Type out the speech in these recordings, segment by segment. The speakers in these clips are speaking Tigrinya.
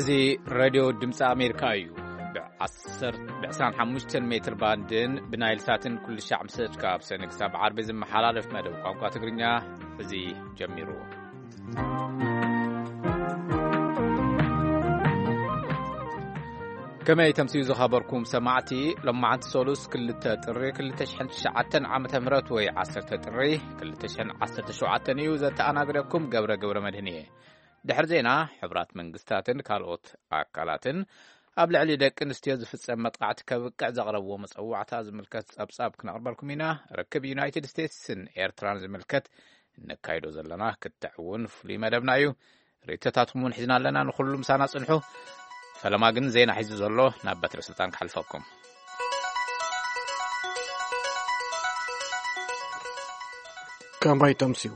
እዚ ሬድዮ ድምፂ ኣሜሪካ እዩ። ብ10፣ ብ25 ሜትር ባንድን ብናይል ሳትን ኩሉ ሻዕ ምስ ደቂቃ ኣብ ሰነ ክሳብ ዓርቢ ዝመሓላለፍ መደብ ቋንቋ ትግርኛ እዚ ጀሚሩ። ከመይ ተምስዩ ዝኸበርኩም ሰማዕቲ፣ ሎማዓንቲ ሰሉስ ክልተ ጥሪ ክልተ ሽሕን ትሽዓተን ዓመተ ምህረት ወይ ዓሰርተ ጥሪ ክልተ ሽሕን ዓሰርተ ሸውዓተን እዩ። ዘተኣናግደኩም ገብረ ገብረ መድህን እየ። ድሕሪ ዜና፣ ሕቡራት መንግስታትን ካልኦት ኣካላትን ኣብ ልዕሊ ደቂ ኣንስትዮ ዝፍጸም መጥቃዕቲ ከብቅዕ ዘቕረብዎ መጸዋዕታ ዝምልከት ጸብጻብ ክነቕርበልኩም ኢና። ርክብ ዩናይትድ ስቴትስን ኤርትራን ዝምልከት እነካይዶ ዘለና ክትዕ እውን ፍሉይ መደብና እዩ። ርእይቶታትኩም እውን ሒዝና ኣለና። ንኹሉ ምሳና ጽንሑ። ፈለማ ግን ዜና ሒዙ ዘሎ ናብ በትረ ስልጣን ክሓልፈኩም። ከመይ ተምስዩ?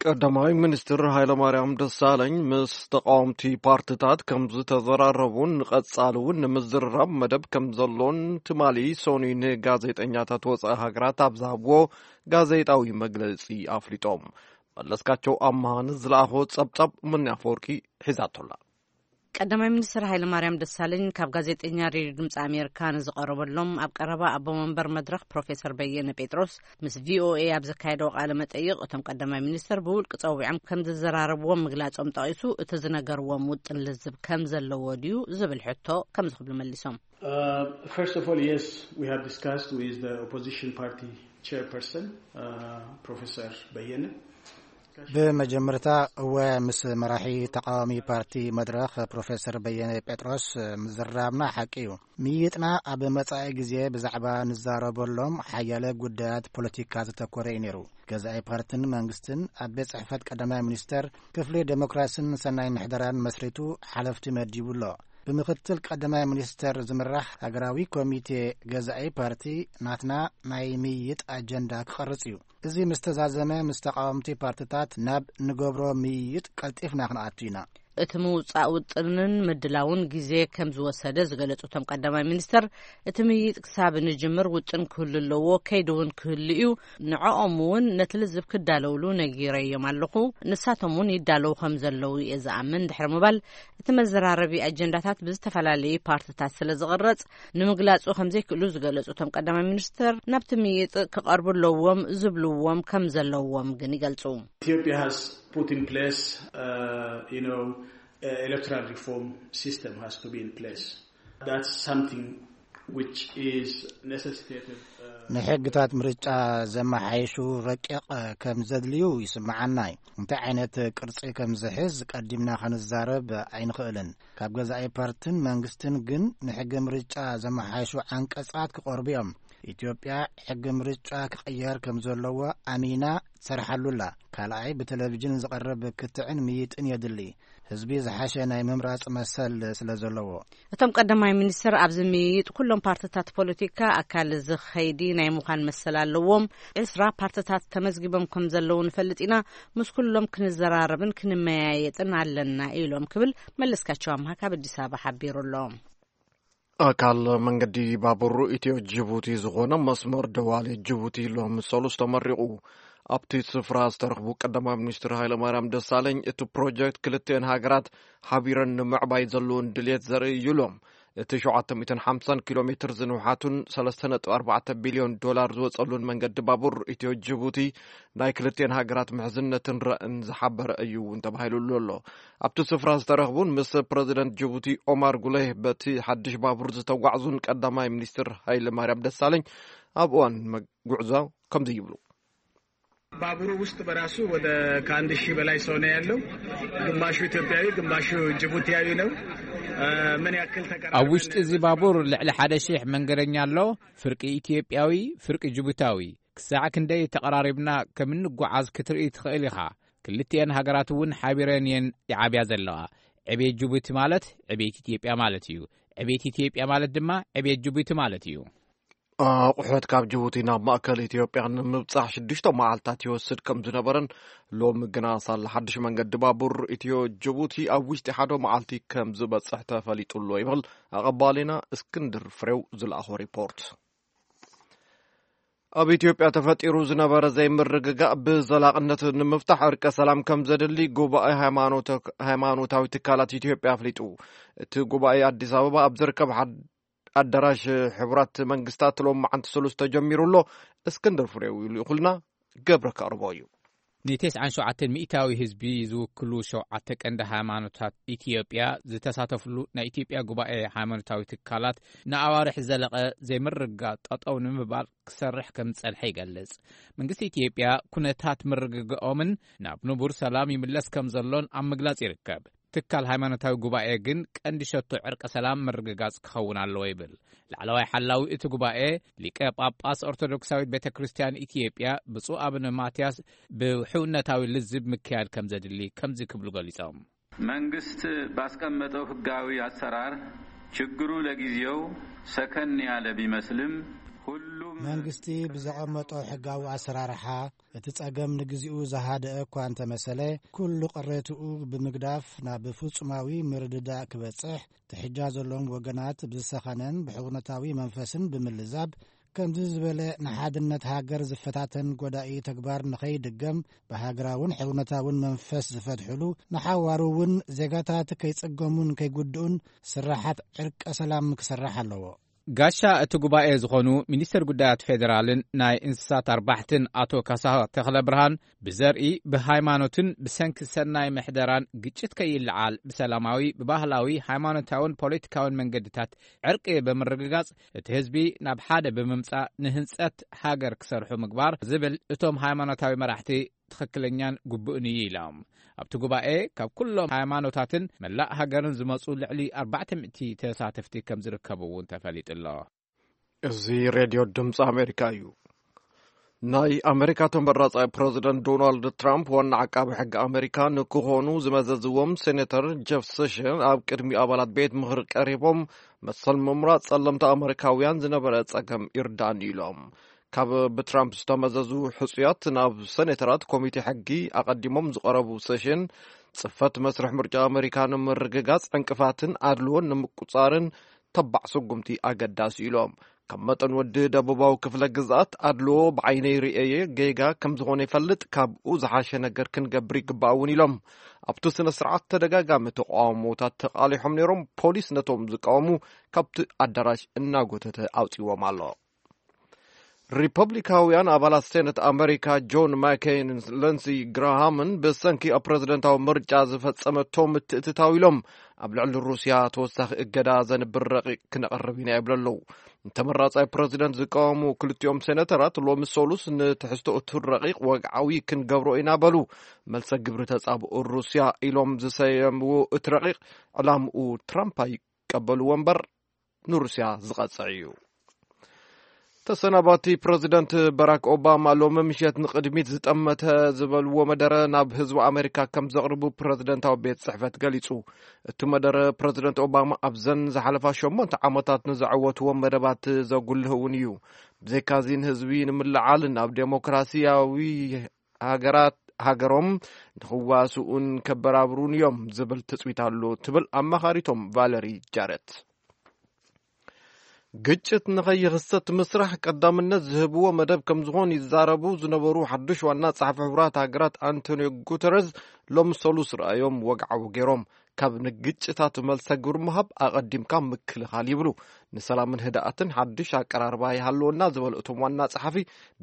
ቀዳማይ ሚኒስትር ሃይለማርያም ደሳለኝ ምስ ተቃወምቲ ፓርትታት ከም ዝተዘራረቡን ንቐጻሊ እውን ንምዝርራብ መደብ ከም ዘሎን ትማሊ ሰኑይ ንጋዜጠኛታት ወጻኢ ሃገራት ኣብ ዝሃብዎ ጋዜጣዊ መግለጺ ኣፍሊጦም። መለስካቸው ኣምሃ ንዝለኣኾ ጸብጻብ ምንያ ኣፈወርቂ ሒዛቶላ። ቀዳማይ ሚኒስትር ሃይለማርያም ደሳለኝ ካብ ጋዜጠኛ ሬድዮ ድምፂ ኣሜሪካ ንዝቐረበሎም ኣብ ቀረባ ኣቦ መንበር መድረኽ ፕሮፌሰር በየነ ጴጥሮስ ምስ ቪኦኤ ኣብ ዘካየደዎ ቃለ መጠይቕ፣ እቶም ቀዳማይ ሚኒስትር ብውልቂ ጸዊዖም ከም ዝዘራረብዎም ምግላጾም ጠቒሱ፣ እቲ ዝነገርዎም ውጥን ልዝብ ከም ዘለዎ ድዩ ዝብል ሕቶ ከምዚ ክብሉ መሊሶም። Uh, first of all, yes, we have discussed with the opposition party chairperson, uh, Professor Bayene. ብመጀመርታ፣ እወ፣ ምስ መራሒ ተቃዋሚ ፓርቲ መድረኽ ፕሮፌሰር በየነ ጴጥሮስ ምዝራብና ሓቂ እዩ። ምይጥና ኣብ መጻኢ ግዜ ብዛዕባ ንዛረበሎም ሓያለ ጉዳያት ፖለቲካ ዘተኮረ እዩ ነይሩ። ገዛኢ ፓርትን መንግስትን ኣብ ቤት ጽሕፈት ቀዳማይ ሚኒስተር ክፍሊ ዴሞክራስን ሰናይ ምሕደራን መስሪቱ ሓለፍቲ መዲቡ ኣሎ። ብምክትል ቀዳማይ ሚኒስተር ዝምራሕ ሃገራዊ ኮሚቴ ገዛኢ ፓርቲ ናትና ናይ ምይይጥ ኣጀንዳ ክቐርጽ እዩ። እዚ ምስ ተዛዘመ፣ ምስ ተቃወምቲ ፓርትታት ናብ ንገብሮ ምይይጥ ቀልጢፍና ክንኣቱ ኢና። እቲ ምውጻእ ውጥንን ምድላውን ግዜ ከም ዝወሰደ ዝገለጹ እቶም ቀዳማይ ሚኒስተር፣ እቲ ምይይጥ ክሳብ ንጅምር ውጥን ክህሉ ኣለዎ፣ ከይዲ እውን ክህሉ እዩ። ንዕኦም እውን ነቲ ልዝብ ክዳለውሉ ነጊረዮም ኣለኹ። ንሳቶም እውን ይዳለዉ ከም ዘለዉ እየ ዝኣምን ድሕሪ ምባል፣ እቲ መዘራረቢ ኣጀንዳታት ብዝተፈላለዩ ፓርትታት ስለ ዝቕረጽ፣ ንምግላጹ ከም ዘይክእሉ ዝገለጹ እቶም ቀዳማይ ሚኒስተር፣ ናብቲ ምይይጥ ክቐርቡ ኣለዎም ዝብልዎም ከም ዘለዎም ግን ይገልጹ። Ethiopia has put in place, uh, you know, uh, electoral reform system has to be in place. That's something which is necessitated, uh, ንሕግታት ምርጫ ዘመሓይሹ ረቂቕ ከም ዘድልዩ ይስምዓና እዩ። እንታይ ዓይነት ቅርጺ ከም ዝሕዝ ቀዲምና ክንዛረብ ኣይንኽእልን። ካብ ገዛኢ ፓርትን መንግስትን ግን ንሕገ ምርጫ ዘመሓይሹ ዓንቀጻት ክቐርቡ እዮም። ኢትዮጵያ ሕገ ምርጫ ክቕየር ከም ዘለዎ ኣሚና ትሰርሓሉ ኣላ። ካልኣይ፣ ብቴሌቪዥን ዝቐርብ ክትዕን ምይጥን የድሊ። ህዝቢ ዝሓሸ ናይ ምምራጽ መሰል ስለ ዘለዎ። እቶም ቀዳማይ ሚኒስትር፣ ኣብዚ ምይይጥ ኩሎም ፓርትታት ፖለቲካ ኣካል እዚ ኸይዲ ናይ ምዃን መሰል ኣለዎም። ዕስራ ፓርትታት ተመዝጊቦም ከም ዘለዉ ንፈልጥ ኢና። ምስ ኩሎም ክንዘራረብን ክንመያየጥን ኣለና ኢሎም ክብል መለስካቸው ኣምሃ ካብ ኣዲስ ኣበባ ሓቢሩ ኣሎ። ኣካል መንገዲ ባቡር ኢትዮ ጅቡቲ ዝኾነ መስመር ደዋሌ ጅቡቲ ሎሚ ሰሉስ ተመሪቑ። ኣብቲ ስፍራ ዝተረኽቡ ቀዳማይ ሚኒስትር ሃይለማርያም ደሳለኝ፣ እቲ ፕሮጀክት ክልቲኤን ሃገራት ሓቢረን ንምዕባይ ዘለውን ድልየት ዘርኢ እዩ ኢሎም። እቲ ሸውዓተ ሚእትን ሓምሳን ኪሎ ሜትር ዝንውሓቱን ሰለስተ ነጥቢ ኣርባዕተ ቢልዮን ዶላር ዝወጸሉን መንገዲ ባቡር ኢትዮ ጅቡቲ ናይ ክልቲኤን ሃገራት ምሕዝነትን ራእን ዝሓበረ እዩ እውን ተባሂሉሉ ኣሎ። ኣብቲ ስፍራ ዝተረኽቡን ምስ ፕረዚደንት ጅቡቲ ኦማር ጉሌህ በቲ ሓድሽ ባቡር ዝተጓዕዙን ቀዳማይ ሚኒስትር ሃይለ ማርያም ደሳለኝ ኣብ እዋን መ-፣ ጉዕዞ ከምዚ ይብሉ። ባቡሩ ውስጥ በራሱ ወደ ከአንድ ሺህ በላይ ሰው ነው ያለው። ግማሹ ኢትዮጵያዊ፣ ግማሹ ጅቡቲያዊ ነው። እ፣ ምን ያክል ተቀራርበን ኣብ ውሽጢ እዚ ባቡር ልዕሊ ሓደ ሺሕ መንገደኛ ኣሎ። ፍርቂ ኢትዮጵያዊ፣ ፍርቂ ጅቡታዊ። ክሳዕ ክንደይ ተቐራሪብና ከም እንጓዓዝ ክትርኢ ትኽእል ኢኻ። ክልቲኤን ሃገራት እውን ሓቢረን እየን ይዓብያ ዘለዋ። ዕቤት ጅቡቲ ማለት ዕቤት ኢትዮጵያ ማለት እዩ። ዕቤት ኢትዮጵያ ማለት ድማ ዕቤት ጅቡቲ ማለት እዩ። ኣቑሑት ካብ ጅቡቲ ናብ ማእከል ኢትዮጵያ ንምብጻሕ ሽዱሽተ መዓልታት ይወስድ ከም ዝነበረን ሎሚ ግና ሳላ ሓድሽ መንገዲ ባቡር ኢትዮ ጅቡቲ ኣብ ውሽጢ ሓደ መዓልቲ ከም ዝበጽሕ ተፈሊጡ ኣሎ ይብል ኣቐባሊና እስክንድር ፍሬው ዝለኣኾ ሪፖርት። ኣብ ኢትዮጵያ ተፈጢሩ ዝነበረ ዘይምርግጋእ ብዘላቕነት ንምፍታሕ ዕርቀ ሰላም ከም ዘድሊ ጉባኤ ሃይማኖተ-፣ ሃይማኖታዊ ትካላት ኢትዮጵያ ኣፍሊጡ። እቲ ጉባኤ ኣዲስ ኣበባ ኣብ ዝርከብ ሓድ-፣ ኣዳራሽ ሕቡራት መንግስታት ሎም መዓንቲ ሰሉስ ተጀሚሩ ኣሎ። እስክንድር ፍሬው ይልእኹልና፣ ገብረ ከቕርቦ እዩ። ን ተስዓን ሸውዓተን ሚእታዊ ህዝቢ ዝውክሉ ሸውዓተ ቀንዲ ሃይማኖታት ኢትዮጵያ ዝተሳተፍሉ ናይ ኢትዮጵያ ጉባኤ ሃይማኖታዊ ትካላት ንኣዋርሕ ዘለቐ ዘይምርግጋእ ጠጠው ንምባል ክሰርሕ ከም ዝጸንሐ ይገልጽ። መንግስቲ ኢትዮጵያ ኩነታት ምርግጋኦምን ናብ ንቡር ሰላም ይምለስ ከም ዘሎን ኣብ ምግላጽ ይርከብ። ትካል ሃይማኖታዊ ጉባኤ ግን ቀንዲ ሸቶ ዕርቀ ሰላም ምርግጋጽ ክኸውን ኣለዎ ይብል። ላዕለዋይ ሓላዊ እቲ ጉባኤ ሊቀ ጳጳስ ኦርቶዶክሳዊት ቤተ ክርስቲያን ኢትዮጵያ ብፁዕ ኣቡነ ማትያስ ብሕውነታዊ ልዝብ ምክያድ ከም ዘድሊ ከምዚ ክብሉ ገሊጾም። መንግስት ባስቀመጠው ህጋዊ አሰራር ችግሩ ለጊዜው ሰከን ያለ ቢመስልም፣ ሁሉም መንግስቲ ብዘቐመጦ ሕጋዊ ኣሰራርሓ እቲ ጸገም ንግዚኡ ዝሃደአ እኳ እንተመሰለ፣ ኩሉ ቅሬትኡ ብምግዳፍ ናብ ፍጹማዊ ምርድዳእ ክበጽሕ ትሕጃ ዘለዎም ወገናት ብዝሰኸነን ብሕውነታዊ መንፈስን ብምልዛብ፣ ከምዚ ዝበለ ንሓድነት ሃገር ዝፈታተን ጎዳኢ ተግባር ንኸይድገም ብሃገራውን ሕውነታውን መንፈስ ዝፈትሕሉ፣ ንሓዋሩ እውን ዜጋታት ከይጽገሙን ከይጉድኡን ስራሓት ዕርቀ ሰላም ክሰርሕ ኣለዎ። ጋሻ እቲ ጉባኤ ዝኾኑ ሚኒስተር ጉዳያት ፌዴራልን ናይ እንስሳት ኣርባሕትን ኣቶ ካሳ ተኽለ ብርሃን፣ ብዘርኢ፣ ብሃይማኖትን ብሰንኪ ሰናይ ምሕደራን ግጭት ከይለዓል ብሰላማዊ፣ ብባህላዊ፣ ሃይማኖታውን ፖለቲካውን መንገድታት ዕርቂ ብምርግጋጽ እቲ ህዝቢ ናብ ሓደ ብምምጻእ ንህንጸት ሃገር ክሰርሑ ምግባር ዝብል እቶም ሃይማኖታዊ መራሕቲ ትኽክለኛን ግቡእን እዩ ኢሎም። ኣብቲ ጉባኤ ካብ ኩሎም ሃይማኖታትን መላእ ሃገርን ዝመጹ ልዕሊ ኣርባዕተ ሚእቲ ተሳተፍቲ ከም ዝርከቡ እውን ተፈሊጡ ኣሎ። እዚ ሬድዮ ድምፂ ኣሜሪካ እዩ። ናይ ኣሜሪካ ተመራጻይ ፕረዚደንት ዶናልድ ትራምፕ ዋና ዓቃቢ ሕጊ ኣሜሪካ ንክኾኑ ዝመዘዝዎም ሴኔተር ጀፍ ሴሽን ኣብ ቅድሚ ኣባላት ቤት ምኽሪ ቀሪቦም፣ መሰል ምምራጽ ጸለምቲ ኣሜሪካውያን ዝነበረ ጸገም ይርዳእኒ ኢሎም። ካብ ብትራምፕ ዝተመዘዙ ሕጹያት ናብ ሴኔተራት ኮሚቴ ሕጊ ኣቐዲሞም ዝቐረቡ ሴሽን፣ ጽፈት መስርሕ ምርጫ ኣሜሪካ ንምርግጋጽ ዕንቅፋትን ኣድልዎን ንምቁጻርን ተባዕ ስጉምቲ ኣገዳሲ ኢሎም። ከም መጠን ወዲ ደቡባዊ ክፍለ ግዝኣት ኣድልዎ ብዓይነይ ርእየ ጌጋ ከም ዝኾነ ይፈልጥ፣ ካብኡ ዝሓሸ ነገር ክንገብር ይግባእ እውን ኢሎም። ኣብቲ ስነ ስርዓት ተደጋጋሚ ተቃውሞታት ተቃሊሖም ነይሮም። ፖሊስ ነቶም ዝቃወሙ ካብቲ ኣዳራሽ እናጎተተ ኣውፅዎም ኣሎ። ሪፐብሊካውያን ኣባላት ሴነት ኣመሪካ ጆን ማኬይን ሊንድሲ ግራሃምን ብሰንኪ ኣብ ፕረዚደንታዊ ምርጫ ዝፈጸመቶ ምትእትታው ኢሎም ኣብ ልዕሊ ሩስያ ተወሳኺ እገዳ ዘንብር ረቂቕ ክነቕርብ ኢና ይብሉ ኣለዉ። ንተመራጻይ ፕረዚደንት ዝቃወሙ ክልቲኦም ሴነተራት ሎሚ ሰሉስ ንትሕዝቶ እቲ ረቂቕ ወግዓዊ ክንገብሮ ኢና በሉ። መልሰ ግብሪ ተጻብኦ ሩስያ ኢሎም ዝሰየምዎ እቲ ረቂቕ ዕላምኡ ትራምፕ ኣይቀበልዎ እምበር ንሩስያ ዝቐጽዕ እዩ። ተሰናባቲ ፕረዚደንት ባራክ ኦባማ ሎሚ ምሸት ንቕድሚት ዝጠመተ ዝበልዎ መደረ ናብ ህዝቢ ኣሜሪካ ከም ዘቕርቡ ፕረዚደንታዊ ቤት ጽሕፈት ገሊጹ። እቲ መደረ ፕረዚደንት ኦባማ ኣብዘን ዝሓለፋ ሸሞንተ ዓመታት ንዘዐወትዎም መደባት ዘጉልህ እውን እዩ። ብዘይካዚ ንህዝቢ ንምልዓል ናብ ዴሞክራሲያዊ ሃገራት ሃገሮም ንኽዋስኡን ከበራብሩን እዮም ዝብል ትጽቢት ኣሎ ትብል ኣማኻሪቶም ቫለሪ ጃረት። ግጭት ንኸይኽሰት ምስራሕ ቀዳምነት ዝህብዎ መደብ ከም ዝኾን ይዛረቡ ዝነበሩ ሓድሽ ዋና ጸሓፊ ሕቡራት ሃገራት ኣንቶኒዮ ጉተረዝ ሎም ሰሉስ ረኣዮም ወግዓዊ ገይሮም። ካብ ንግጭታት መልሰ ግብሪ ምሃብ ኣቐዲምካ ምክልኻል ይብሉ። ንሰላምን ህድኣትን ሓድሽ ኣቀራርባ ይሃልወና ዝበሉ እቶም ዋና ጸሓፊ፣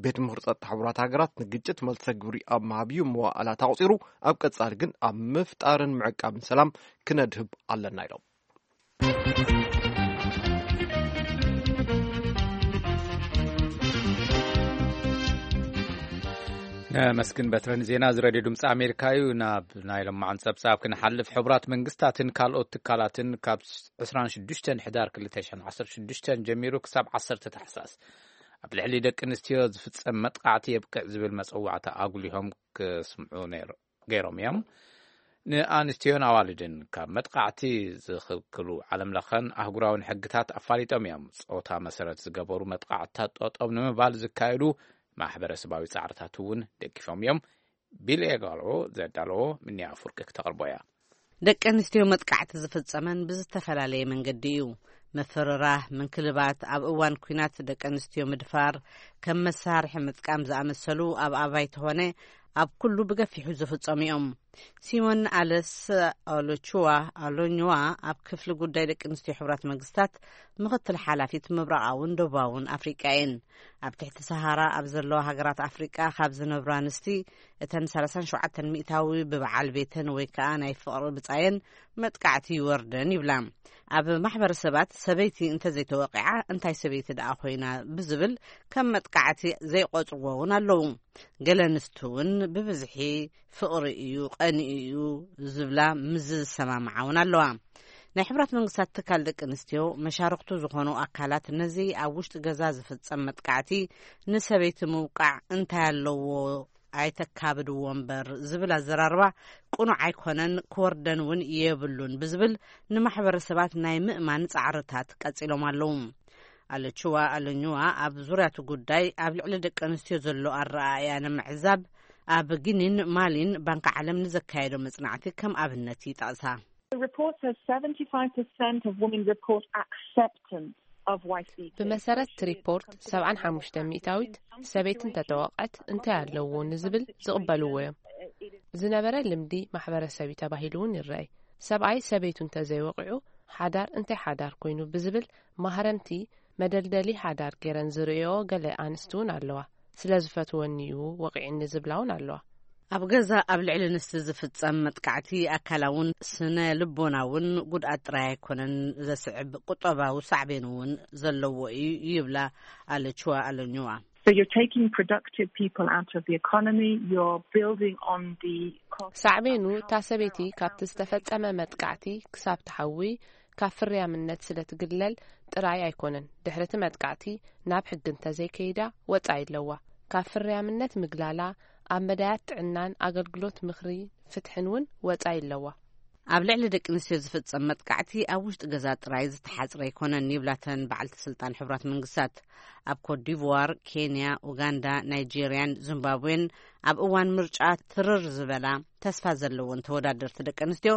ቤት ምኽሪ ጸጥታ ሕቡራት ሃገራት ንግጭት መልሰ ግብሪ ኣብ ምሃብ እዩ መዋእላት ኣቑጺሩ፣ ኣብ ቀጻሊ ግን ኣብ ምፍጣርን ምዕቃብን ሰላም ክነድህብ ኣለና ኢሎም። ነመስግን በትረን ዜና እዚ ሬድዮ ድምፂ ኣሜሪካ እዩ። ናብ ናይ ለማዕን ጸብጻብ ክንሓልፍ፣ ሕቡራት መንግስታትን ካልኦት ትካላትን ካብ ዕስራን ሽዱሽተን ሕዳር ክልተ ሽሕን ዓሰርተ ሽዱሽተን ጀሚሩ ክሳብ ዓሰርተ ታሕሳስ ኣብ ልዕሊ ደቂ ኣንስትዮ ዝፍጸም መጥቃዕቲ የብቅዕ ዝብል መጸዋዕታ ኣጉሊሆም ክስምዑ ነይሩ ገይሮም እዮም። ንኣንስትዮን ኣዋልድን ካብ መጥቃዕቲ ዝኽልክሉ ዓለምለኸን ኣህጉራውን ሕግታት ኣፋሊጦም እዮም። ጾታ መሰረት ዝገበሩ መጥቃዕትታት ጠጠው ንምባል ዝካየዱ ማሕበረሰባዊ ጻዕርታት እውን ደጊፎም እዮም። ቢል ኤጋሎ ዘዳለዎ ምንያ ፍርቂ ክተቕርቦ እያ። ደቂ ኣንስትዮ መጥቃዕቲ ዝፍጸመን ብዝተፈላለየ መንገዲ እዩ። ምፍርራህ፣ ምንክልባት፣ ኣብ እዋን ኲናት ደቂ ኣንስትዮ ምድፋር፣ ከም መሳርሒ ምጥቃም ዝኣመሰሉ ኣብ ኣባይቲ ኾነ ኣብ ኩሉ ብገፊሑ ዝፍጸሙ እዮም። ሲሞን ኣለስ ኦሎቹዋ ኣሎኙዋ ኣብ ክፍሊ ጉዳይ ደቂ ኣንስትዮ ሕቡራት መንግስታት ምኽትል ሓላፊት ምብራቓውን ደቡባውን ኣፍሪቃ እየን። ኣብ ትሕቲ ሰሃራ ኣብ ዘለዋ ሃገራት ኣፍሪቃ ካብ ዝነብራ ኣንስቲ እተን ሰላሳን ሸውዓተን ሚእታዊ ብበዓል ቤተን ወይ ከኣ ናይ ፍቕሪ ብጻየን መጥቃዕቲ ይወርደን ይብላ። ኣብ ማሕበረሰባት ሰበይቲ እንተዘይተወቂዓ እንታይ ሰበይቲ ደኣ ኮይና ብዝብል ከም መጥቃዕቲ ዘይቆጽርዎ እውን ኣለዉ። ገለ ኣንስቲ እውን ብብዝሒ ፍቕሪ እዩ፣ ቀንኢ እዩ ዝብላ ምስ ዝሰማምዓ እውን ኣለዋ። ናይ ሕብራት መንግስታት ትካል ደቂ ኣንስትዮ መሻርክቱ ዝኾኑ ኣካላት ነዚ ኣብ ውሽጢ ገዛ ዝፍጸም መጥቃዕቲ ንሰበይቲ ምውቃዕ እንታይ ኣለዎ ኣይተካብድዎ እምበር ዝብል ኣዘራርባ ቅኑዕ ኣይኮነን፣ ክወርደን እውን የብሉን ብዝብል ንማሕበረሰባት ናይ ምእማን ጻዕርታት ቀጺሎም ኣለዉ። ኣለችዋ ኣለኝዋ ኣብ ዙርያቱ ጉዳይ ኣብ ልዕሊ ደቂ ኣንስትዮ ዘሎ ኣረኣእያ ንምዕዛብ ኣብ ጊኒን ማሊን ባንክ ዓለም ንዘካየዶ መጽናዕቲ ከም ኣብነት ይጠቕሳ። The report says seventy-five percent of women report acceptance of wife beating. ብመሰረት እቲ ሪፖርት ሰብዓን ሓሙሽተ ሚእታዊት ሰበይቲ እንተተወቕዐት እንታይ ኣለዎ ንዝብል ዝቕበልዎ እዮም። ዝነበረ ልምዲ ማሕበረሰብ እዩ ተባሂሉ እውን ይረኣይ። ሰብኣይ ሰበይቱ እንተዘይወቂዑ ሓዳር እንታይ ሓዳር ኮይኑ ብዝብል ማህረምቲ መደልደሊ ሓዳር ገይረን ዝርእዮ ገለ ኣንስቲ እውን ኣለዋ። ስለ ዝፈትወኒ እዩ ወቂዕኒ ዝብላ እውን ኣለዋ። ኣብ ገዛ ኣብ ልዕሊ ኣንስቲ ዝፍጸም መጥቃዕቲ ኣካላውን ስነ ልቦናውን ጉድኣት ጥራይ ኣይኮነን ዘስዕብ፣ ቁጠባዊ ሳዕቤን እውን ዘለዎ እዩ ይብላ ኣለችዋ ኣለኝዋ። So you're taking productive people out of the economy, you're building on the cost. ሳዕቤኑ እታ ሰበይቲ ካብቲ ዝተፈጸመ መጥቃዕቲ ክሳብ ትሓዊ ካብ ፍርያምነት ስለ ትግለል ጥራይ ኣይኮነን። ድሕሪ እቲ መጥቃዕቲ ናብ ሕጊ እንተዘይከይዳ ወጻኢ ኣለዋ። ካብ ፍርያምነት ምግላላ ኣብ መዳያት ጥዕናን ኣገልግሎት ምኽሪ ፍትሕን እውን ወጻኢ ኣለዋ። ኣብ ልዕሊ ደቂ ኣንስትዮ ዝፍጸም መጥቃዕቲ ኣብ ውሽጢ ገዛ ጥራይ ዝተሓጽረ ኣይኮነን ይብላተን በዓልቲ ስልጣን ሕቡራት መንግስታት። ኣብ ኮትዲቯር፣ ኬንያ፣ ኡጋንዳ፣ ናይጄርያን ዚምባብዌን ኣብ እዋን ምርጫ ትርር ዝበላ ተስፋ ዘለወን ተወዳደርቲ ደቂ ኣንስትዮ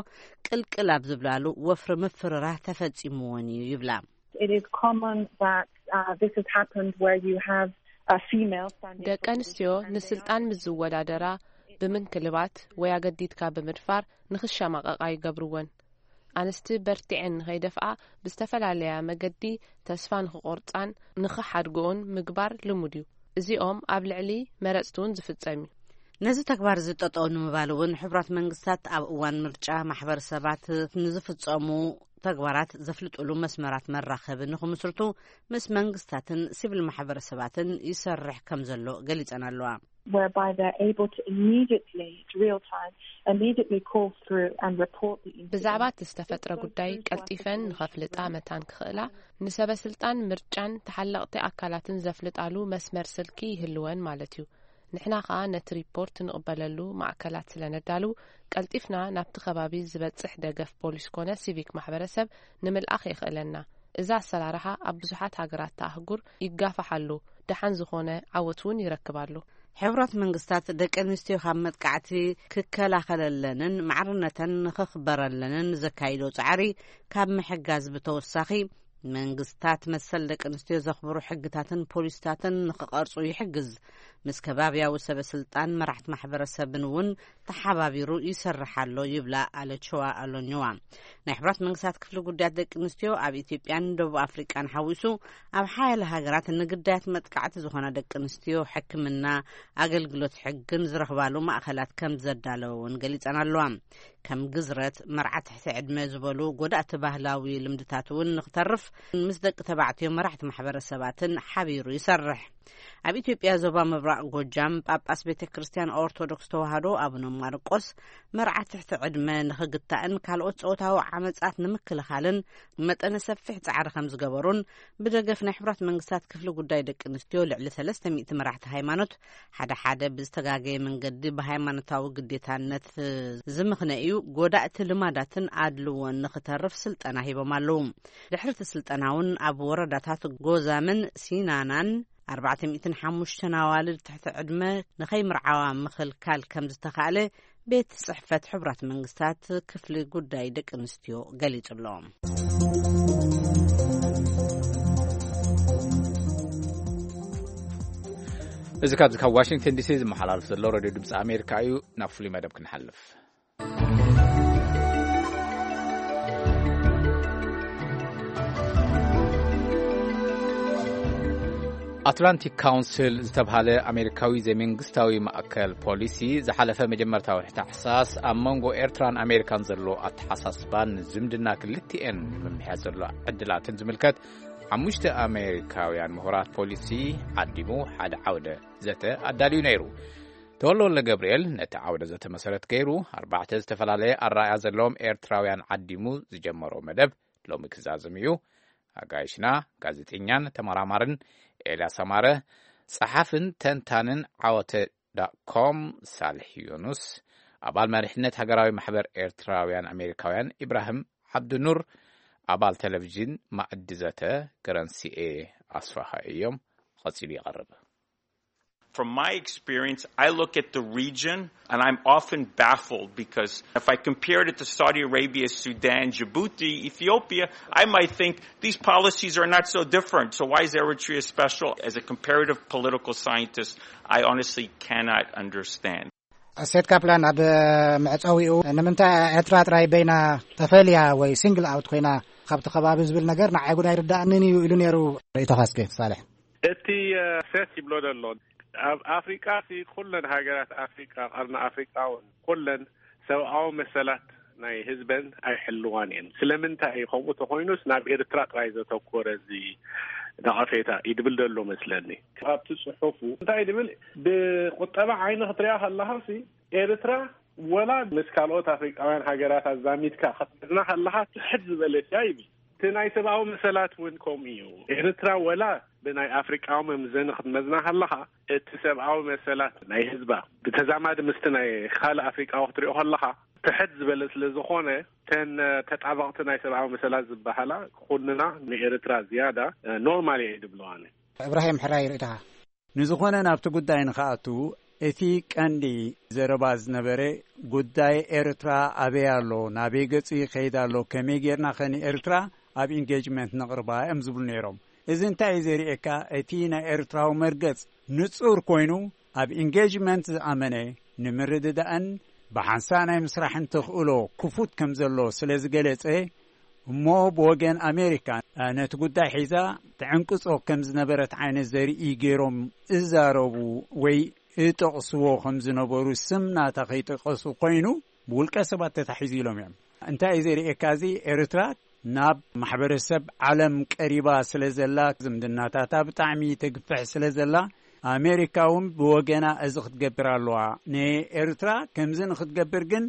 ቅልቅል ኣብ ዝብላሉ ወፍሪ ምፍርራህ ተፈጺምወን እዩ ይብላ። It is common that uh, this has happened where you have a female standing ደቂ ኣንስትዮ ንስልጣን ምስ ዝወዳደራ ብምንክልባት ወይ ኣገዲድካ ብምድፋር ንኽሸማቐቓ ይገብርወን። ኣንስቲ በርቲዐን ንኸይደፍኣ ብዝተፈላለያ መገዲ ተስፋ ንኽቆርጻን ንኽሓድግኦን ምግባር ልሙድ እዩ። እዚኦም ኣብ ልዕሊ መረጽቲ እውን ዝፍጸም እዩ። ነዚ ተግባር እዚ ጠጠው ንምባል እውን ሕቡራት መንግስታት ኣብ እዋን ምርጫ ማሕበረሰባት ንዝፍጸሙ ተግባራት ዘፍልጥሉ መስመራት መራኸቢ ንኽምስርቱ ምስ መንግስታትን ሲቪል ማሕበረሰባትን ይሰርሕ ከም ዘሎ ገሊጸን ኣለዋ። Whereby they're able to immediately, it's real time, immediately call through and report the incident. ብዛዕባ እቲ ዝተፈጥረ ጉዳይ ቀልጢፈን ንኸፍልጣ መታን ክኽእላ ንሰበ ስልጣን ምርጫን ተሓለቕቲ ኣካላትን ዘፍልጣሉ መስመር ስልኪ ይህልወን ማለት እዩ። ንሕና ኸኣ ነቲ ሪፖርት ንቕበለሉ ማእከላት ስለ ነዳሉ ቀልጢፍና ናብቲ ከባቢ ዝበጽሕ ደገፍ ፖሊስ ኮነ ሲቪክ ማሕበረሰብ ንምልኣኽ የኽእለና። እዚ ኣሰራርሓ ኣብ ብዙሓት ሃገራት ኣህጉር ይጋፋሕ ኣሎ፣ ደሓን ዝኾነ ዓወት እውን ይረክብ ኣሎ። ሕቡራት መንግስታት ደቂ ኣንስትዮ ካብ መጥቃዕቲ ክከላኸለለንን ማዕርነተን ንኽኽበረለንን ዘካይዶ ጻዕሪ ካብ ምሕጋዝ ብተወሳኺ መንግስታት መሰል ደቂ ኣንስትዮ ዘኽብሩ ሕግታትን ፖሊስታትን ንኽቐርጹ ይሕግዝ። ምስ ከባብያዊ ሰበ ስልጣን መራሕቲ ማሕበረሰብን እውን ተሓባቢሩ ይሰርሕ ኣሎ ይብላ ኣለችዋ ኣሎኝዋ። ናይ ሕቡራት መንግስታት ክፍሊ ጉዳያት ደቂ ኣንስትዮ ኣብ ኢትዮጵያን ደቡብ ኣፍሪቃን ሓዊሱ ኣብ ሓያለ ሃገራት ንግዳያት መጥቃዕቲ ዝኾና ደቂ ኣንስትዮ ሕክምና፣ ኣገልግሎት ሕግን ዝረኽባሉ ማእኸላት ከም ዘዳለወ እውን ገሊጸን ኣለዋ። ከም ግዝረት፣ መርዓ ትሕቲ ዕድመ ዝበሉ ጎዳእቲ ባህላዊ ልምድታት እውን ንክተርፍ ምስ ደቂ ተባዕትዮ መራሕቲ ማሕበረሰባትን ሓቢሩ ይሰርሕ። ኣብ ኢትዮጵያ ዞባ ምብራቕ ጎጃም ጳጳስ ቤተ ክርስቲያን ኦርቶዶክስ ተዋህዶ ኣቡነ ማርቆስ መርዓ ትሕቲ ዕድመ ንኽግታእን ካልኦት ጾታዊ ዓመጻት ንምክልኻልን መጠነ ሰፊሕ ጻዕሪ ከም ዝገበሩን ብደገፍ ናይ ሕቡራት መንግስታት ክፍሊ ጉዳይ ደቂ ኣንስትዮ ልዕሊ ሰለስተ ሚእቲ መራሕቲ ሃይማኖት ሓደ ሓደ ብዝተጋገየ መንገዲ ብሃይማኖታዊ ግዴታነት ዝምኽነ እዩ፣ ጎዳእቲ ልማዳትን ኣድልዎን ንኽተርፍ ስልጠና ሂቦም ኣለዉ። ድሕሪ እቲ ስልጠና እውን ኣብ ወረዳታት ጎዛምን ሲናናን ኣርባዕተ ሚእትን ሓሙሽተን ኣዋልድ ትሕቲ ዕድመ ንኸይምርዓዋ ምኽልካል ከም ዝተኻእለ ቤት ጽሕፈት ሕቡራት መንግስታት ክፍሊ ጉዳይ ደቂ ኣንስትዮ ገሊጹ ኣሎ። እዚ ካብዚ ካብ ዋሽንግተን ዲሲ ዝመሓላለፍ ዘሎ ሬድዮ ድምፂ ኣሜሪካ እዩ። ናብ ፍሉይ መደብ ክንሓልፍ። ኣትላንቲክ ካውንስል ዝተብሃለ ኣሜሪካዊ ዘይመንግስታዊ ማእከል ፖሊሲ ዝሓለፈ መጀመርታዊ ታሕሳስ ኣብ መንጎ ኤርትራን ኣሜሪካን ዘሎ ኣተሓሳስባን ዝምድና ክልቲኤን ንምምሕያሽ ዘሎ ዕድላትን ዝምልከት ሓሙሽተ ኣሜሪካውያን ምሁራት ፖሊሲ ዓዲሙ ሓደ ዓውደ ዘተ ኣዳልዩ ነይሩ። ተወልደ ወልደ ገብርኤል ነቲ ዓውደ ዘተ መሰረት ገይሩ ኣርባዕተ ዝተፈላለየ ኣረኣእያ ዘለዎም ኤርትራውያን ዓዲሙ ዝጀመሮ መደብ ሎሚ ክዛዝም እዩ። ኣጋይሽና ጋዜጠኛን ተመራማርን ኤልያስ ኣማረ፣ ጸሓፍን ተንታንን ዓወተ ዳት ኮም ሳልሕ ዮኑስ፣ ኣባል መሪሕነት ሃገራዊ ማሕበር ኤርትራውያን ኣሜሪካውያን ኢብራሂም ዓብዱኑር፣ ኣባል ቴሌቪዥን ማዕዲ ዘተ ገረንሲኤ ኣስፋሃ እዮም። ቀጺሉ ይቐርብ። From my experience, I look at the region and I'm often baffled because if I compared it to Saudi Arabia, Sudan, Djibouti, Ethiopia, I might think these policies are not so different. So why is Eritrea special? As a comparative political scientist, I honestly cannot understand. ሴት ካፕላን ኣብ መዕጸዊኡ ንምንታይ ኤርትራ ጥራይ በይና ተፈልያ ወይ ሲንግል ኣውት ኮይና ካብቲ ከባቢ ዝብል ነገር ንዓይ ጉዳይ ርዳእንን እዩ ኢሉ ነይሩ። ርእይቶኻ እስኪ ሳልሕ። እቲ ሴት ይብሎ ዘሎ ኣብ ኣፍሪቃ ሲ ኩለን ሃገራት ኣፍሪቃ ቀርኒ ኣፍሪቃ እውን ኩለን ሰብኣዊ መሰላት ናይ ህዝበን ኣይሕልዋን እየን። ስለምንታይ እዩ ከምኡ ተኮይኑስ ናብ ኤርትራ ጥራይ ዘተኮረ እዚ ነቐፌታ እዩ ድብል ዘሎ መስለኒ። ኣብቲ ጽሑፉ እንታይ ድብል ብቁጠባ ዓይኒ ክትሪኣ ከለኻ ሲ ኤርትራ ወላ ምስ ካልኦት ኣፍሪቃውያን ሃገራት ኣዛሚድካ ክትመዝና ከለኻ ትሕት ዝበለት እያ ይብል። እቲ ናይ ሰብኣዊ መሰላት እውን ከምኡ እዩ። ኤርትራ ወላ ብናይ ኣፍሪቃዊ መምዘኒ ክትመዝና ከለኻ እቲ ሰብኣዊ መሰላት ናይ ህዝባ ብተዛማዲ ምስቲ ናይ ካልእ ኣፍሪቃዊ ክትሪኦ ከለኻ ትሕት ዝበለ ስለ ዝኾነ እተን ተጣበቕቲ ናይ ሰብኣዊ መሰላት ዝበሃላ ኩልና ንኤርትራ ዝያዳ ኖርማል እየ ድብለዋኒ። እብራሂም ሕራይ ርእይቶኻ? ንዝኾነ ናብቲ ጉዳይ ንኽኣቱ እቲ ቀንዲ ዘረባ ዝነበረ ጉዳይ ኤርትራ ኣበይ ኣሎ፣ ናበይ ገጹ ይኸይድ ኣሎ፣ ከመይ ጌርና ኸ ንኤርትራ ኣብ ኢንጌጅመንት ነቕርባ እዮም ዝብሉ ነይሮም። እዚ እንታይ እዩ ዘርእየካ? እቲ ናይ ኤርትራዊ መርገጽ ንጹር ኮይኑ ኣብ ኢንጌጅመንት ዝኣመነ ንምርድዳእን ብሓንሳእ ናይ ምስራሕን ተኽእሎ ክፉት ከም ዘሎ ስለ ዝገለጸ እሞ ብወገን ኣሜሪካ ነቲ ጉዳይ ሒዛ ትዕንቅጾ ከም ዝነበረት ዓይነት ዘርኢ ገይሮም እዛረቡ ወይ እጠቕስዎ ከም ዝነበሩ ስም ናታ ከይጠቀሱ ኮይኑ ብውልቀ ሰባት ተታሒዙ ኢሎም እዮም። እንታይ እዩ ዘርእየካ? እዚ ኤርትራ ናብ ማሕበረሰብ ዓለም ቀሪባ ስለ ዘላ ዝምድናታታ ብጣዕሚ ተግፍሕ ስለ ዘላ ኣሜሪካ እውን ብወገና እዚ ክትገብር ኣለዋ። ንኤርትራ ከምዚ ንክትገብር ግን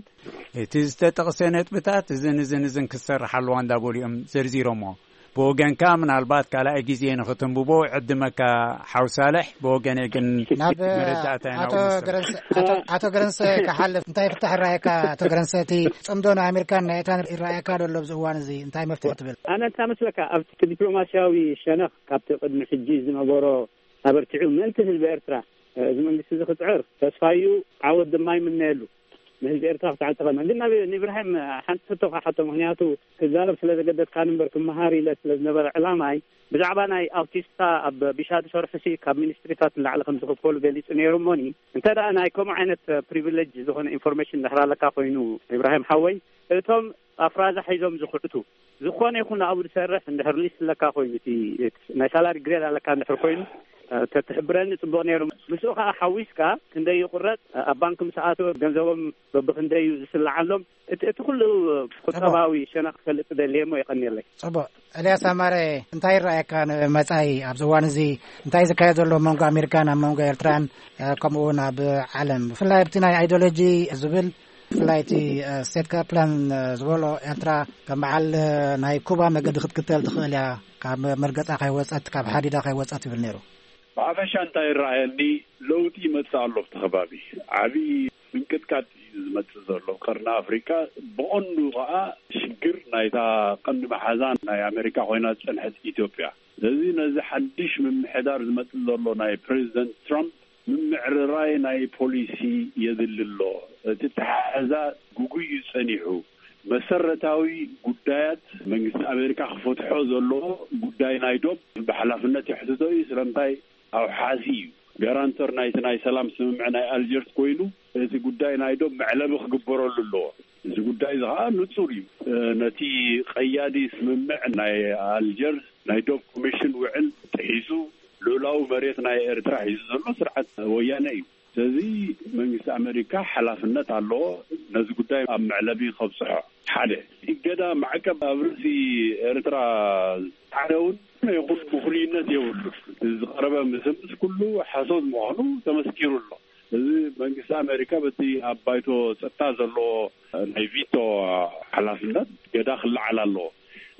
እቲ ዝተጠቕሰ ነጥብታት እዝን እዝን እዝን ክትሰርሕ ኣለዋ እንዳበሉ እዮም ዘርዚሮሞ። ብወገንካ ምናልባት ካልኣይ ግዜ ንክትንብቦ ዕድመካ ሓው ሳልሕ፣ ብወገነይ ግን ናብ መረዳእታ ኢና ኣቶ ውስን። ገረንሰ ኣቶ- ኣቶ ገረንሰ ክሓልፍ እንታይ ፍታሕ ይረኣየካ? ኣቶ ገረንሰ እቲ ጽምዶ ናይ ኣሜሪካን ናይ ኤርትራን ይረኣየካ ዶ ኣሎ ኣብዚ እዋን እዚ እንታይ መፍትሒ ትብል? ኣነ እንታይ መስለካ ኣብቲ ዲፕሎማስያዊ ሸነኽ ካብቲ ቅድሚ ሕጂ ዝነበሮ ኣበርቲዑ ምእንቲ ህዝቢ ኤርትራ እዚ መንግስቲ እዚ ክጽዕር ተስፋዩ ዓወት ድማ ይምነየሉ። ንህዝቢ ኤርትራ ክትዓል ተቐመ ግን ናብ ንኢብራሂም ሓንቲ ሕቶ ክሓቶ ምክንያቱ ክዛረብ ስለ ዘገደድካኒ እምበር ክመሃር ኢለ ስለ ዝነበረ ዕላማይ ብዛዕባ ናይ ኣውቲስታ ኣብ ቢሻ ዝሰርሑ ሲ ካብ ሚኒስትሪታት ንላዕሊ ከም ዝኽፈሉ ገሊጹ ነይሩ እሞኒ እንተ ደኣ ናይ ከምኡ ዓይነት ፕሪቪሌጅ ዝኾነ ኢንፎርሜሽን ድሕር ኣለካ ኮይኑ ኢብራሂም ሓወይ እቶም ኣፍራዛ ሒዞም ዝኽዕቱ ዝኾነ ይኹን ኣብኡ ዝሰርሕ እንድሕር ሊስት ኣለካ ኮይኑ እቲ ናይ ሳላሪ ግሬድ ኣለካ እንድሕር ኮይኑ ተትሕብረኒ ጽቡቕ ነይሩ። ምስኡ ከኣ ሓዊስካ ክንደይ ይቁረጽ ኣብ ባንክ ምስ ኣተወ ገንዘቦም በብክንደይ እዩ ዝስልዓሎም እቲ እቲ ኩሉ ቁጠባዊ ሸነኽ ክፈልጥ ደልየ እሞ የቐንየለይ። ጽቡቕ። ኤልያስ ኣማረ እንታይ ይረኣየካ ንመጻኢ ኣብዚ እዋን እዚ እንታይ ዝካየድ ዘሎ ኣብ መንጎ ኣሜሪካን ኣብ መንጎ ኤርትራን ከምኡ እውን ኣብ ዓለም ብፍላይ ኣብቲ ናይ ኣይዲዮሎጂ ዝብል ብፍላይ እቲ ስቴት ካፕላን ዝበሎ ኤርትራ ከም በዓል ናይ ኩባ መገዲ ክትክተል ትኽእል እያ ካብ መርገጻ ከይወጸት ካብ ሓዲዳ ከይወጸት ይብል ነይሩ። ብሓፈሻ እንታይ ይረኣየኒ ለውጢ ይመጽእ ኣሎ ኣብቲ ከባቢ ዓብዪ ምንቅጥቃጥ እዩ ዝመጽእ ዘሎ ቀርኒ ኣፍሪቃ ብቐንዱ ከዓ ሽግር ናይታ ቀንዲ መሓዛ ናይ ኣሜሪካ ኮይና ዝጸንሐት ኢትዮጵያ ስለዚ ነዚ ሓድሽ ምምሕዳር ዝመጽእ ዘሎ ናይ ፕሬዚደንት ትራምፕ ምምዕርራይ ናይ ፖሊሲ የድሊ ኣሎ እቲ ተሓሕዛ ጉጉይ እዩ ጸኒሑ መሰረታዊ ጉዳያት መንግስቲ ኣሜሪካ ክፈትሖ ዘለዎ ጉዳይ ናይ ዶብ ብሓላፍነት የሕትቶ እዩ ስለምንታይ ኣውሓሲ እዩ ጋራንተር ናይቲ ናይ ሰላም ስምምዕ ናይ ኣልጀርስ ኮይኑ፣ እቲ ጉዳይ ናይ ዶብ መዕለቢ ክግበረሉ ኣለዎ። እዚ ጉዳይ እዚ ከዓ ንጹር እዩ። ነቲ ቀያዲ ስምምዕ ናይ ኣልጀርስ ናይ ዶብ ኮሚሽን ውዕል ጥሒሱ፣ ልኡላዊ መሬት ናይ ኤርትራ ሒዙ ዘሎ ስርዓት ወያነ እዩ። ስለዚ መንግስቲ ኣሜሪካ ሓላፍነት ኣለዎ። ነዚ ጉዳይ ኣብ መዕለቢ ከብፅሖ፣ ሓደ እገዳ ማዕቀብ ኣብ ርእሲ ኤርትራ ዝፀዓረ እውን ይኹን ምኽንዩነት የብሉ። ዝቐረበ ምስምስ ኩሉ ሓሶት ምዃኑ ተመስኪሩ ኣሎ። እዚ መንግስቲ ኣሜሪካ በቲ ኣብ ባይቶ ጸጥታ ዘለዎ ናይ ቪቶ ሓላፍነት ገዳ ክለዓል ኣለዎ።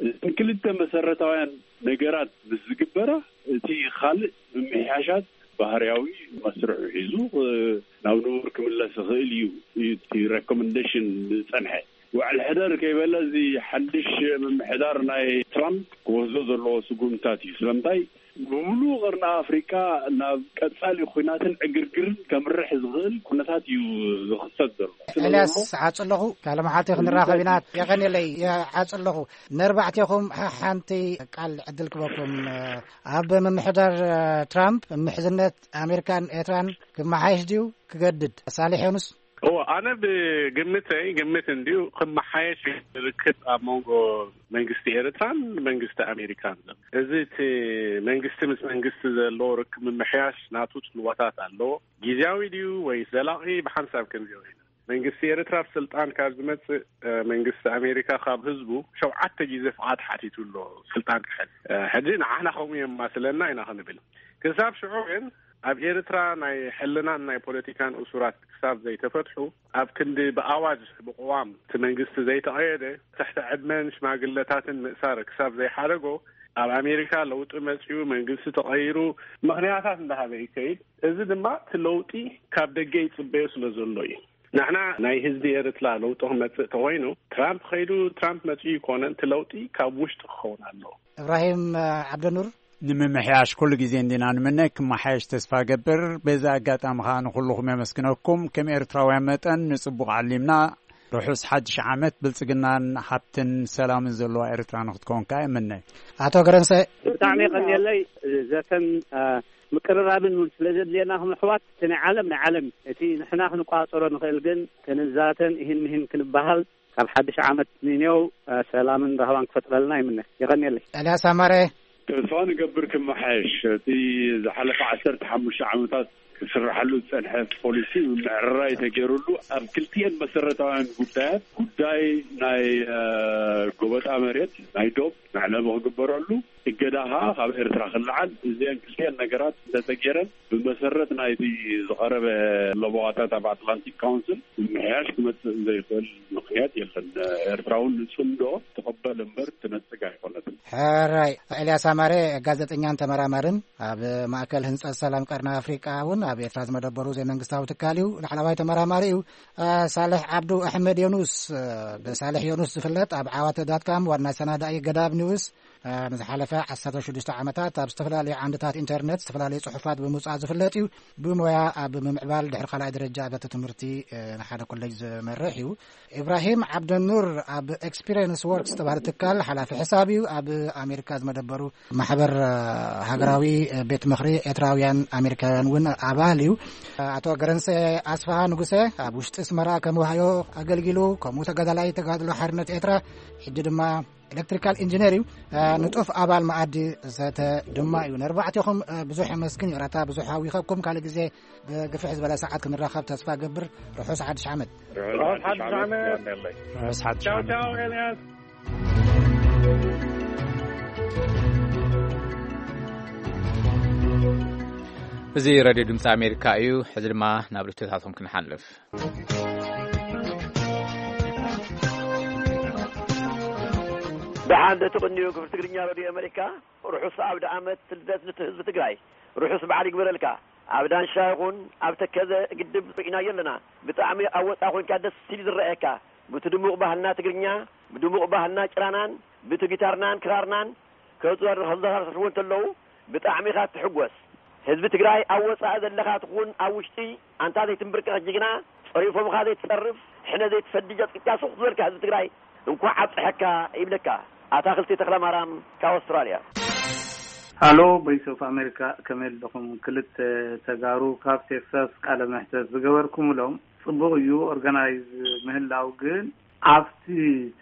እተን ክልተ መሰረታውያን ነገራት ምስ ዝግበራ፣ እቲ ካልእ ምምሕያሻት ባህርያዊ መስርሑ ሒዙ ናብ ንቡር ክምለስ ይኽእል እዩ። እቲ ሬኮመንዴሽን ዝጸንሐ ውዕል ሕደር ከይበለ፣ እዚ ሓድሽ ምምሕዳር ናይ ትራምፕ ክወስዶ ዘለዎ ስጉምታት እዩ። ስለምንታይ? ብምሉእ ቀርኒ ኣፍሪቃ ናብ ቀጻሊ ኲናትን ዕግርግርን ከምርሕ ዝኽእል ኩነታት እዩ ዝኽሰት ዘሎ። ስለ ኤልያስ፣ ዘሎ ሓጽ ኣለኹ፣ ካልእ መዓልቲ ክንራኸብ ኢና። የቐንየለይ፣ ሓጽ ኣለኹ። ነርባዕቴኹም ሓ-፣ ሓንቲ ቃል ዕድል ክበኩም። ኣብ ምምሕዳር ትራምፕ ምሕዝነት ኣሜሪካን ኤርትራን ክመሓየሽ ድዩ ክገድድ? ሳሌሕ ዮኑስ። እዎ፣ ኣነ ብግምተይ፣ ግምት እንድዩ፣ ክመሓየሽ ርክብ ኣብ መንጎ መንግስቲ ኤርትራን መንግስቲ ኣሜሪካን ዘሎ። እዚ እቲ መንግስቲ ምስ መንግስቲ ዘለዎ ርክብ ምምሕያሽ ናቱ ጽልዋታት ኣለዎ። ግዝያዊ ድዩ ወይ ዘላቒ፣ ብሓንሳብ ክንሪኦ ኢና። መንግስቲ ኤርትራ ኣብ ስልጣን ካብ ዝመጽእ፣ እ፣ መንግስቲ ኣሜሪካ ካብ ህዝቡ ሸውዓተ ግዜ ፍቓድ ሓቲቱ ኣሎ ስልጣን ክሕዝ። እ፣ ሕጂ ንዓና ከምኡ የማስለና ኢና ክንብል። ክሳብ ሽዑ ግን ኣብ ኤርትራ ናይ ሕልናን ናይ ፖለቲካን እሱራት ክሳብ ዘይተፈትሑ፣ ኣብ ክንዲ ብኣዋጅ ብቅዋም እቲ መንግስቲ ዘይተቐየደ፣ ትሕቲ ዕድመን ሽማግለታትን ምእሳር ክሳብ ዘይሓደጎ፣ ኣብ ኣሜሪካ ለውጢ መጺኡ መንግስቲ ተቐይሩ ምኽንያታት እንዳሃበ ይከይድ። እዚ ድማ እቲ ለውጢ ካብ ደገ ይጽበዮ ስለ ዘሎ እዩ። ንሕና ናይ ህዝቢ ኤርትራ ለውጢ ክመጽእ ተኾይኑ፣ ትራምፕ ኸይዱ ትራምፕ መጺኡ ይኮነን፣ እቲ ለውጢ ካብ ውሽጢ ክኸውን ኣለዎ። እብራሂም ዓብደኑር። ንምምሕያሽ ኩሉ ግዜ እንዲና ንምነ፣ ክመሓየሽ ተስፋ ገብር። በዚ ኣጋጣሚ ኸኣ ንኹልኹም የመስግነኩም። ከም ኤርትራውያን መጠን ንጽቡቕ ዓሊምና፣ ርሑስ ሓድሽ ዓመት፣ ብልጽግናን ሃብትን ሰላምን ዘለዋ ኤርትራ ንኽትከውን ከኣ እምነ። ኣቶ ገረንሰ። ብጣዕሚ የቐንየለይ። ዘተን፣ አ፣ ምቅርራብን እውን ስለ ዘድልየና፣ ከም ኣሕዋት፣ እቲ ናይ ዓለም ናይ ዓለም እዩ። እቲ ንሕና ክንቋጸሮ ንኽእል ግን፣ ክንዛተን እሂን ምሂን ክንበሃል፣ ካብ ሓድሽ ዓመት ንኔው፣ አ፣ ሰላምን ራህዋን ክፈጥረልና ይምነ። የቐንየለይ። ኤልያስ ኣማረ። ተስፋ ንገብር ክመሓየሽ። እቲ ዝሓለፈ ዓሰርተ ሓሙሽተ ዓመታት ክስርሓሉ ዝጸንሐ ፖሊሲ ምምዕርራይ ተገይሩሉ፣ ኣብ ክልቲኤን መሰረታውያን ጉዳያት፣ ጉዳይ ናይ፣ አ፣ ጎበጣ መሬት፣ ናይ ዶብ መዕለቢ ክግበረሉ፣ እገዳ ኸዓ ካብ ኤርትራ ክለዓል፣ እዚአን ክልቲአን ነገራት እንተተገይረን፣ ብመሰረት ናይቲ ዝቐረበ ለበዋታት ኣብ ኣትላንቲክ ካውንስል፣ ምምሕያሽ ክመጽእ ዘይኽእል ምኽንያት የለን። ኤርትራ እውን ንጽምዶ ትቕበል እምበር ትነጽግ ኣይኮነትን። ሕራይ። ኤልያስ ኣማረ፣ ጋዜጠኛን ተመራማርን፣ ኣብ ማእከል ህንጸት ሰላም ቀርኒ ኣፍሪቃ እውን ኣብ ኤርትራ ዝመደበሩ ዘይመንግስታዊ ትካል እዩ። ላዕለዋይ ተመራማሪ እዩ። አ፣ ሳልሕ ዓብዱ ኣሕመድ ዮኑስ፣ አ፣ ብሳልሕ ዮኑስ ዝፍለጥ፣ ኣብ ዓዋተ ዳትካም ዋና ሰናዳኢ ገዳብ ኒውስ፣ አ፣ ንዝሓለፈ ዓሰርተ ሽዱሽተ ዓመታት ኣብ ዝተፈላለዩ ዓንድታት ኢንተርነት ዝተፈላለዩ ጽሑፋት ብምውጻእ ዝፍለጥ እዩ። ብሞያ ኣብ ምምዕባል ድሕሪ ካልኣይ ደረጃ ኣብያተ ትምህርቲ፣ አ፣ ንሓደ ኮሌጅ ዝመርሕ እዩ። ኢብራሂም ዓብደኑር ኣብ ኤክስፒሪየንስ ወርክስ ዝተባህለ ትካል ሓላፊ ሕሳብ እዩ። ኣብ ኣሜሪካ ዝመደበሩ ማሕበር፣ አ፣ ሃገራዊ ቤት ምኽሪ ኤርትራውያን ኣሜሪካውያን እውን ኣባል እዩ። ኣቶ ገረንሰ ኣስፍሃ ንጉሰ ኣብ ውሽጢ ኣስመራ ከም ዋህዮ ኣገልጊሉ፣ ከምኡ ተጋዳላይ ተጋድሎ ሓርነት ኤርትራ፣ ሕጂ ድማ ኤሌክትሪካል ኢንጂነር እዩ። አ፣ ንጡፍ ኣባል መኣዲ ዘተ ድማ እዩ። ነርባዕቴኹም፣ አ፣ ብዙሕ የመስግን። ይቕረታ ብዙሕ ኣዊኸኩም። ካልእ ግዜ ብግፍሕ ዝበለ ሰዓት ክንራኸብ ተስፋ ገብር። ርሑስ ሓድሽ ዓመት። ርሑስ ሓድሽ ዓመት። ርሑስ ሓድሽ ቻው ዓመት። ቻው ኤልያስ። እዚ ሬድዮ ድምፂ ኣሜሪካ እዩ። ሕዚ ድማ ናብ ርትዕታቶም ክንሓልፍ። ደሓን ዶ ትቕንዩ? ክፍሊ ትግርኛ ሬድዮ ኣሜሪካ፣ ርሑስ ኣውደ ዓመት ልደት ነቲ ህዝቢ ትግራይ። ርሑስ በዓል ይግበረልካ። ኣብ ዳንሻ ይኹን ኣብ ተከዘ ግድብ ርኢናዮ ኣለና። ብጣዕሚ ኣብ ወፃኢ ኮንካ ደስ ኢሉ ዝረኣየካ። ብቲ ድሙቕ ባህልና ትግርኛ፣ ብድሙቕ ባህልና ጭራናን፣ ብቲ ጊታርናን ክራርናን ከዘራርሕዎ እንተለዉ ብጣዕሚ ኢኻ ትሕጎስ። ህዝቢ ትግራይ ኣብ ወፃኢ ዘለኻ ትኹን ኣብ ውሽጢ ኣንታ ዘይትንብርከኽ ጅግና፣ ፀሪፎምኻ ዘይትፀርፍ፣ ሕነ ዘይትፈዲ ጀጥቂጥካ ሱቕ ዝበልካ ህዝቢ ትግራይ እንኳዕ ኣብፀሐካ ይብለካ። ኣታኽልቲ ተኽለማርያም ካብ ኣውስትራልያ። ኣሎ። ቮይስ ኦፍ ኣሜሪካ፣ ከመይ ኣለኹም? ክልተ ተጋሩ ካብ ቴክሳስ ቃለ መሕተት ዝገበርኩምሎም ጽቡቕ እዩ። ኦርጋናይዝ ምህላው ግን ኣብቲ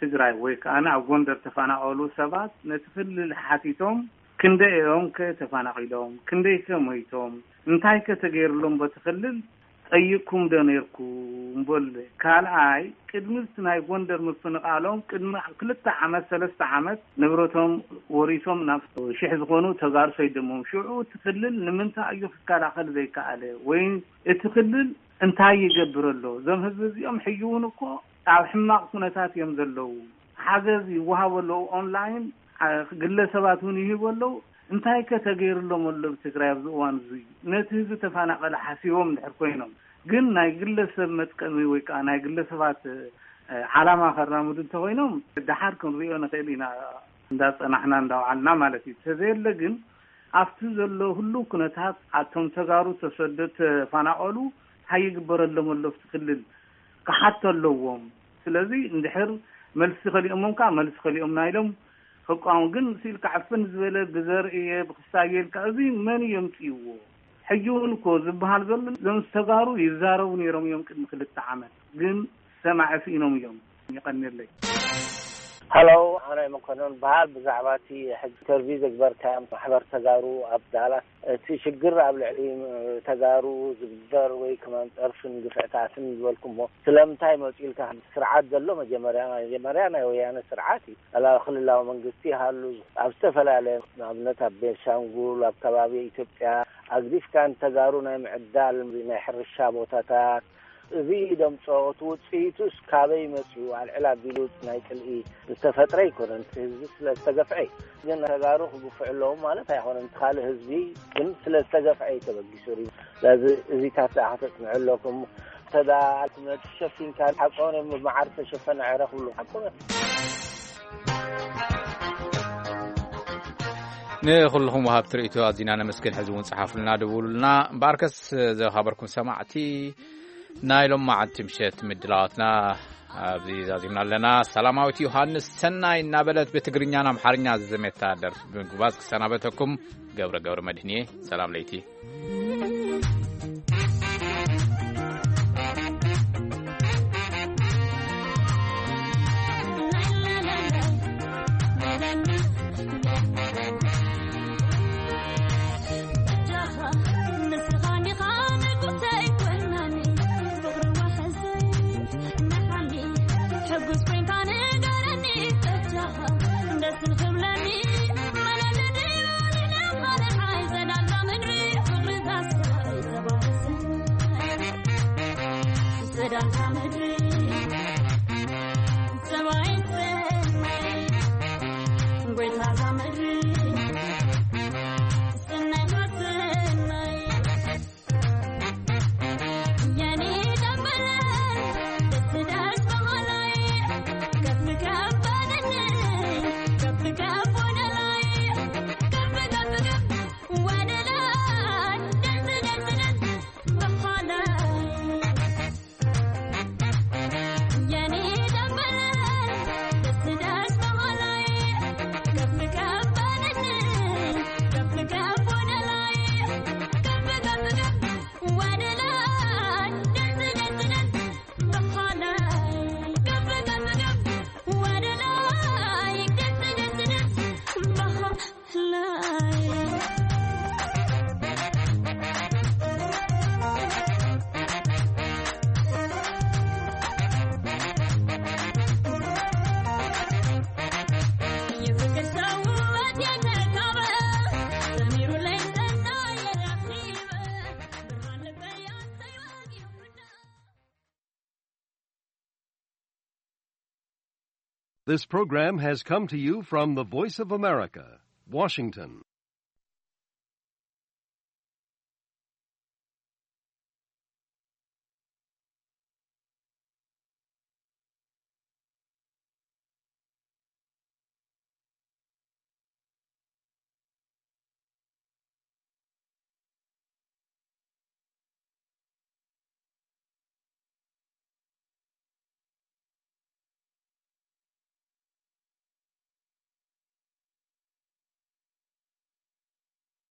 ትግራይ ወይ ከኣ ኣብ ጎንደር ተፈናቐሉ ሰባት ነቲ ክልል ሓቲቶም ክንደይ እዮም ከ ተፈናቒሎም? ክንደይ ከ ሞይቶም? እንታይ ከ ተገይርሎም በቲ ክልል? ጠይቅኩም ዶ ነይርኩም? በል። ካልኣይ፣ ቅድሚ እቲ ናይ ጎንደር ምፍንቓሎም ቅድሚ ክልተ ዓመት ሰለስተ ዓመት ንብረቶም ወሪሶም ናብ ሽሕ ዝኾኑ ተጋሩ ሰይዶሞም። ሽዑ እቲ ክልል ንምንታይ እዩ ክከላኸል ዘይከኣለ? ወይ እቲ ክልል እንታይ ይገብር ኣሎ? እዞም ህዝቢ እዚኦም ሕጂ እውን እኮ ኣብ ሕማቕ ኩነታት እዮም ዘለዉ። ሓገዝ ይወሃቡ ኣለዉ። ኦንላይን ግለሰባት እውን ይህቡ ኣለዉ። እንታይ ከ ተገይርሎም ኣሎ ብትግራይ ኣብዚ እዋን እዚ? ነቲ ህዝቢ ተፈናቐለ ሓሲቦም እንድሕር ኮይኖም ግን ናይ ግለሰብ መጥቀሚ ወይ ከዓ ናይ ግለሰባት ዓላማ ከራምዱ እንተኮይኖም ደሓር ክንሪኦ ንኽእል ኢና፣ እንዳፀናሕና እንዳውዓልና ማለት እዩ። ተዘየለ ግን ኣብቲ ዘሎ ህሉው ኩነታት ኣቶም ተጋሩ ተሰዶ ተፈናቐሉ እንታይ ይግበረሎም ኣሎ ኣብቲ ክልል ክሓቶ ኣለዎም። ስለዚ እንድሕር መልሲ ከሊኦሞም ከዓ መልሲ ከሊኦምና ኢሎም ክቃወሙ ግን ስኢልካ ዕፍን ዝበለ ብዘርእየ ብክሳየ ኢልካ እዚ መን የምፅእዎ? ሕጂ እውን እኮ ዝበሃል ዘሎ እዞም ዝተጋሩ ይዛረቡ ነይሮም እዮም ቅድሚ ክልተ ዓመት ግን ሰማዒ ስኢኖም እዮም። ይቐንየለይ። ሃሎ ኣነ መኮነን በሃል ብዛዕባ እቲ ሕጂ ኢንተርቪው ዘግበርካዮም ማሕበር ተጋሩ ኣብ ዳላስ እቲ ሽግር ኣብ ልዕሊ ተጋሩ ዝግበር ወይ ከማን ፀርፍን ግፍዕታትን ዝበልኩሞ ስለምንታይ መፂኡ ኢልካ ስርዓት ዘሎ መጀመርያ መጀመርያ ናይ ወያነ ስርዓት እዩ። ኣላ ክልላዊ መንግስቲ ይሃሉ ኣብ ዝተፈላለየ ንኣብነት ኣብ ቤንሻንጉል ኣብ ከባቢ ኢትዮጵያ ኣግዲፍካ ንተጋሩ ናይ ምዕዳል ናይ ሕርሻ ቦታታት እዚ ደምፆ እቲ ውፅኢቱስ ካበይ መፅኡ ኣልዕል ኣቢሉ ናይ ፅልኢ ዝተፈጥረ ኣይኮነን። እቲ ህዝቢ ስለ ዝተገፍዐ እዩ። ግን ተጋሩ ክግፍዑ ኣለዎም ማለት ኣይኮነን። እቲ ካልእ ህዝቢ ግን ስለ ዝተገፍዐ እዩ ተበጊሱ ሪ ስለዚ እዚታት ደኣ ከተፅንዑ ኣለኩም። ተዳ ነቲ ሸፊንካ ሓቆን እዮም መዓር ተሸፈነ ዕረ ክብሉ ሓቆን እዮም። ንኩልኹም ወሃብቲ ርእይቶ ኣዚና ነመስግን። ሕዚ እውን ጸሓፉልና፣ ደውሉልና። እምበኣርከስ ዝኸበርኩም ሰማዕቲ ናይ ሎም መዓልቲ ምሸት ምድላዋትና ኣብዚ ዛዚምና ኣለና። ሰላማዊት ዮሃንስ ሰናይ እናበለት ብትግርኛን ኣምሓርኛ ዝዘመታ ደርፊ ብምግባዝ ክሰናበተኩም ገብረ ገብረ መድህን እየ። ሰላም ለይቲ። This program has come to you from the Voice of America, Washington.